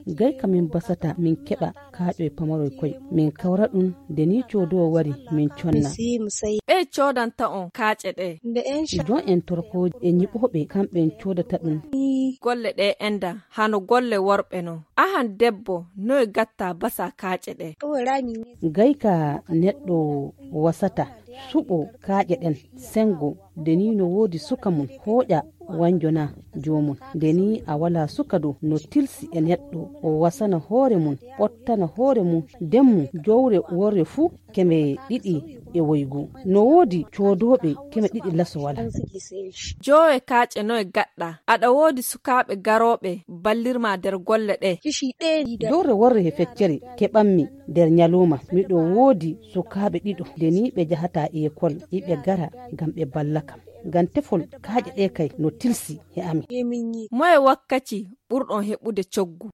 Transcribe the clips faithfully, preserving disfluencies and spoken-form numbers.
Gay ka min basata min keɓa kaaƴoy pamaroy koy. Min kawra ɗun de ni coodoowo wari min conna. Ɓee coodanta on kaaƴe ɗee. Jon en torkooji e ñiɓooɓe kamɓen coodata ɗun. Golle ɗee endan hano golle worɓe non. Ahan debbo, noy gatta basa kaaƴe ɗee? Gay ka neɗɗo wasata suɓo kaaƴe ɗen, sengo, de ni no woodi suka mun, hooƴa wanjona joomum. De ni a walaa suka dow no tilsi e neɗɗo, o wasana hoore mun, ɓottana hoore mun, demmu, jowre worre fuu, keme ɗiɗi e woygu. No woodi coodooɓe keme ɗiɗi laso walaa. Joowe kaaƴe noy gaɗɗa? Aɗa woodi sukaaɓe garooɓe ballirma der golle ɗee? Jowre worre he feccere keɓanmi der ñalooma. Miɗo woodi sukaaɓe ɗiɗo, de ni ɓe jahataa ekol, iɓe gara gam ɓe balla kam. Gam tefol kaaƴe ɗee kay no tilsi he amin. Moye wakkaci ɓurɗon heɓude coggu?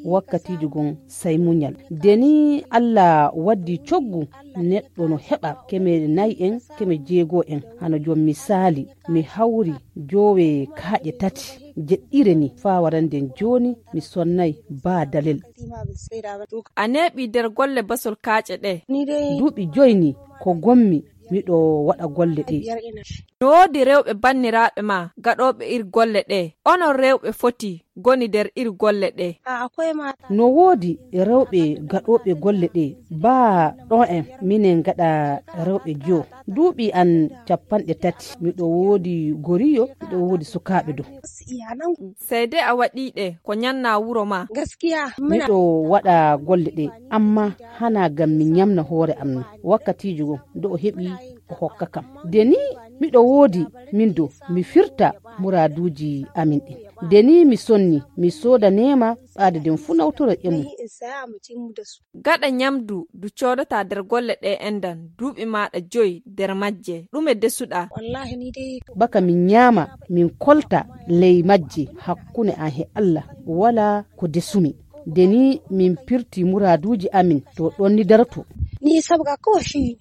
Wakkatiiji gon say muñal. De ni Alla waddi coggu, neɗɗo no heɓa keme nay en, keme jeego en. Hano jon misaali, mi hawri joowe kaaƴe tati, jeɗɗire ni, faa waranden jooni mi sonnay baa dalel. A neeɓii der golle basol kaaƴe ɗee? Duuɓi joy ni ko gommi miɗo waɗa golle ɗee. No woodi rewɓe banniraaɓe maa gaɗooɓe ir golle ɗee? Onon rewɓe foti goni der ir golle ɗee? No woodi rewɓe gaɗooɓe golle ɗee. Baa ɗoo en minen gaɗa rewɓe joo. Duuɓi an cappanɗe tati, miɗo woodi goriyo, miɗo woodi sukaaɓe dow. Sey de a waɗii ɗe ko ñanna wuro maa. Miɗo waɗa golle ɗee, amma hanaa gam mi ñamna hoore am non. Wakkatiiji goo, do o heɓi o hokka kam. De ni miɗo woodi min dow, mi firta muraaduuji amin ɗin. De ni mi sonni, mi soodaneema ɓaade den fu nawtora e mum. Gaɗa ñamdu du coodataa der golle ɗee enɗan duuɓi maaɗa joy der majje, ɗume desuɗaa? Baka min ñaama, min kolta ley majje, hakkune an he Alla, walaa ko desumi. De ni min pirti muraaduuji amin, to ɗon ni daroto. Ni sabga ko shi.